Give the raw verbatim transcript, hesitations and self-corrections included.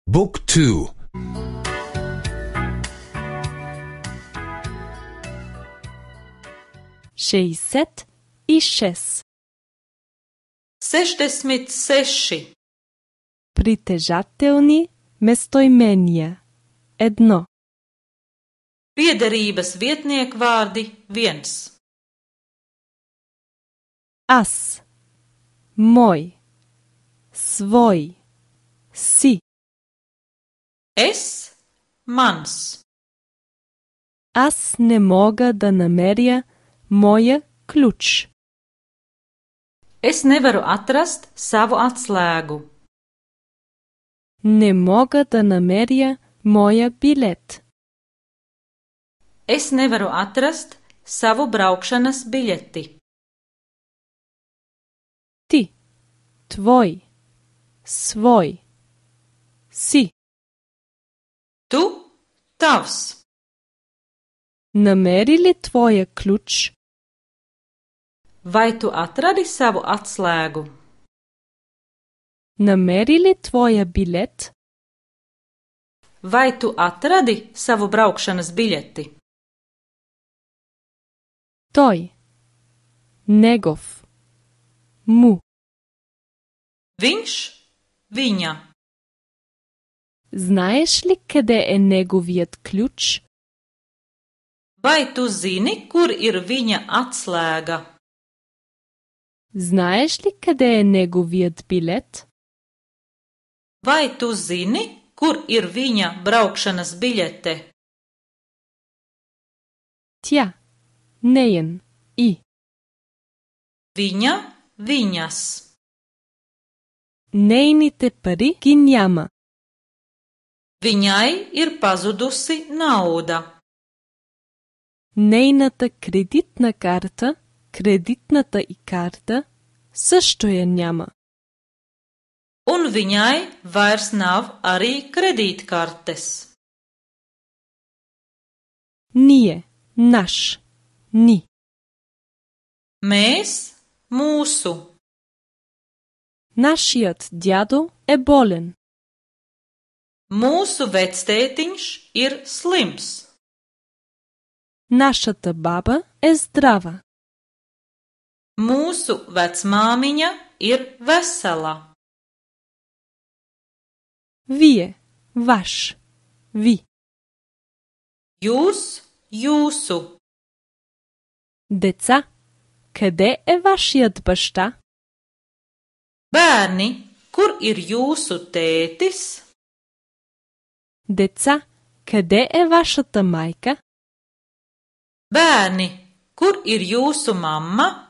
Book two. šezdeset šest. sešdeset seši. Притежателни местоимения. Едно. Piederības vietniekvārdi viens. Аз. Мой. Свой. Си. Es, mans. Аз не мога да намеря моя ключ. Es nevaru atrast savu atslēgu. Не мога да намеря моя билет. Es nevaru atrast savu braukšanas biļeti. Ти. Твой. Свой. Си. Tu, tavs. Намери ли твоя ключ? Vai tu atradi savu atslēgu? Намери ли твоя билет? Vai tu atradi savu braukšanas biļeti? Той. Негов. Му. Viņš, viņa. Знаеш ли къде е неговият ключ? Vai tu zini, kur ir viņa atslēga? Знаеш ли къде е неговият билет? Vai tu zini, kur ir viņa braukšanas biļete? Тя. Неен. И. Viņa, viņas. Нейните пари ги няма. Viņai ir pazudusi nauda. Нейната кредитна карта, кредитната и карта също я няма. Un viņai vairs nav arī kredītkartes. Ние. Наш. Ни. Mēs, mūsu. Нашият дядо е болен. Mūsu vectētiņš ir slims. Нашата баба е здрава. Mūsu vecmāmiņa ir vesela. Вие. Ваш. Ви. Jūs, jūsu. Деца. Къде е вашият баща? Bērni, kur ir jūsu tētis? Деца. Къде е вашата майка? Bērni, kur ir jūsu mamma?